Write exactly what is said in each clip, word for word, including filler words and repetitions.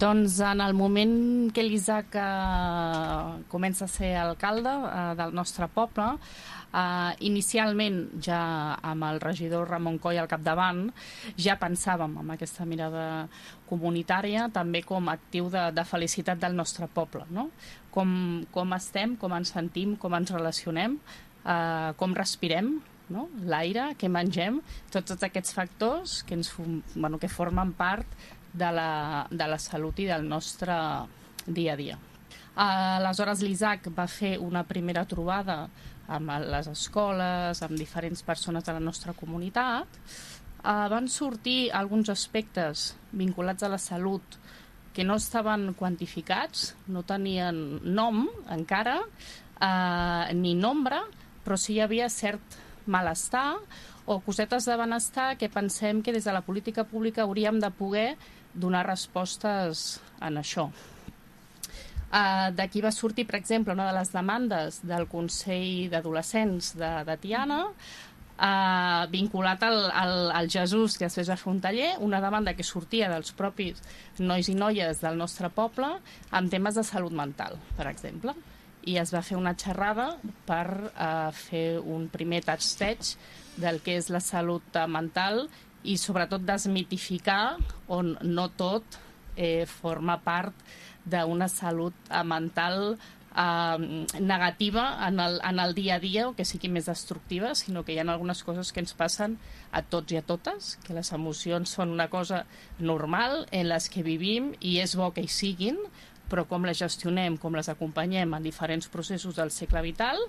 Doncs en el moment que l'Isaac eh, comença a ser alcalde eh, del nostre poble, eh, inicialment ja amb el regidor Ramon Coll al capdavant, ja pensàvem en aquesta mirada comunitària, també com a actiu de, de felicitat del nostre poble, no? Com, com estem, com ens sentim, com ens relacionem, eh, com respirem, no? L'aire, què mengem, tots, tots aquests factors que, ens, bueno, que formen part de la, de la salut i del nostre dia a dia. Aleshores, l'Isaac va fer una primera trobada amb les escoles, amb diferents persones de la nostra comunitat. Uh, van sortir alguns aspectes vinculats a la salut que no estaven quantificats, no tenien nom encara, uh, ni nombre, però sí hi havia cert malestar o cosetes de benestar que pensem que des de la política pública hauríem de poder donar respostes en això. Uh, D'aquí va sortir, per exemple, una de les demandes del Consell d'Adolescents de, de Tiana, uh, vinculat al, al, al Jesús, que després va fer un taller, una demanda que sortia dels propis nois i noies del nostre poble amb temes de salut mental, per exemple. I es va fer una xerrada per uh, fer un primer tasteig del que és la salut mental i sobretot desmitificar on no tot eh, forma part d'una salut mental eh, negativa en el, en el dia a dia o que sigui més destructiva, sinó que hi ha algunes coses que ens passen a tots i a totes, que les emocions són una cosa normal en les que vivim i és bo que hi siguin, però com les gestionem, com les acompanyem en diferents processos del cicle vital,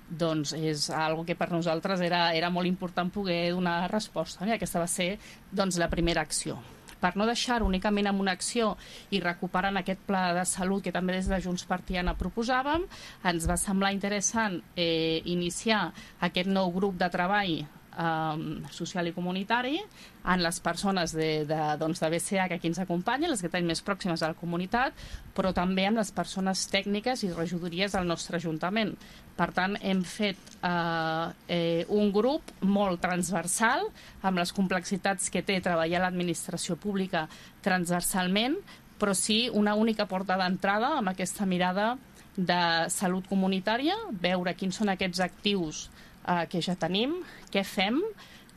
doncs és algo que per nosaltres era, era molt important poder donar resposta. I aquesta va ser doncs, la primera acció. Per no deixar-ho únicament en una acció i recuperant aquest pla de salut que també des de Junts per Tiana proposàvem, ens va semblar interessant eh, iniciar aquest nou grup de treball Um, social i comunitari en les persones de, de, doncs de B C A que aquí ens acompanyen, les que tenim més pròximes a la comunitat, però també amb les persones tècniques i regidories del nostre Ajuntament. Per tant, hem fet uh, eh, un grup molt transversal amb les complexitats que té treballar l'administració pública transversalment, però sí una única porta d'entrada amb aquesta mirada de salut comunitària, veure quins són aquests actius Uh, que ja tenim, què fem,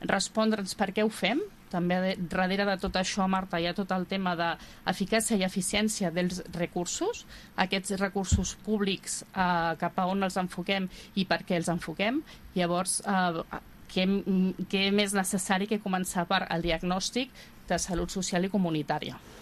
respondre'ns per què ho fem. També de, darrere de tot això, Marta, hi ha tot el tema d'eficàcia i eficiència dels recursos, aquests recursos públics uh, cap a on els enfoquem i per què els enfoquem. Llavors, uh, què, què més necessari que començar per el diagnòstic de salut social i comunitària.